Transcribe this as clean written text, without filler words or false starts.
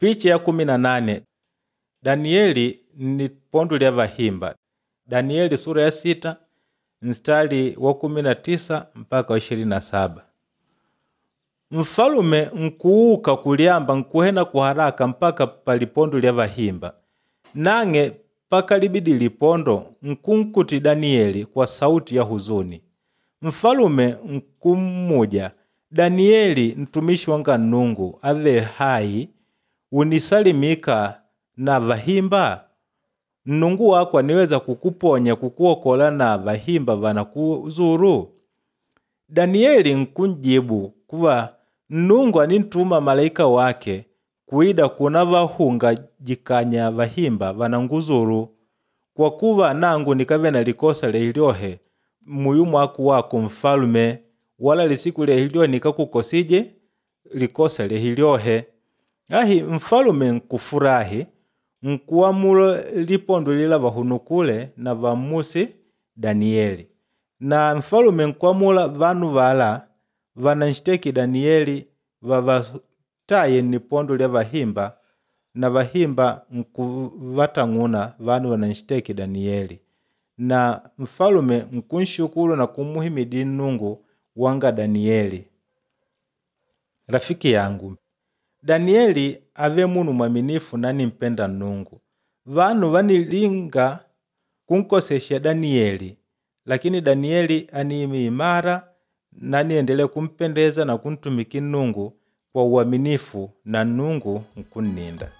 Picha ya 18 Danieli ni pondo lya vahimba. Danieli sura ya 6 mstari wa 19 mpaka 27. Mfalume nkuuka kulyamba nkuhena kuharaka mpaka palipondo lya vahimba. Nang'e pakalibidi lipondo nkunkuti Danieli kwa sauti ya huzuni. Mfalume nkummuja Danieli mtumishi wanga Nnungu ave hai unisalimika na vahimba? Nnungu wako aniweza kukuponya kukuokola na vahimba vanakuzuru? Danieli nkunjibu kuva Nnungu anintuma malaika wake kuida kuna vahunga jikanya vahimba vananguzuru kwa kuva nangu nikave na likosa lelyohe muyu mwaku wako mfalume wala lisiku lelyohe nikakukosije likosa lehilyohe. Ahi mfalume nkufurahi nkuamula lipondo lila vahunukule na vammusi Danieli. Na mfalume nkuamula vanu vala vananshiteki Danieli vavataye nnipondo lya vahimba na vahimba nkuvatang'una vanu vananshiteki Danieli. Na mfalume nkunshukulu na kumuhimidi Nnungu wanga Danieli. Rafiki yangu, Danieli ave munu mwaminifu na nimpenda Nnungu. Vanu vanilinga kunkosesha Danieli, lakini Danieli aniimi imara na niendelea kumpendeza na kuntumiki Nnungu kwa uaminifu na Nnungu nkunninda.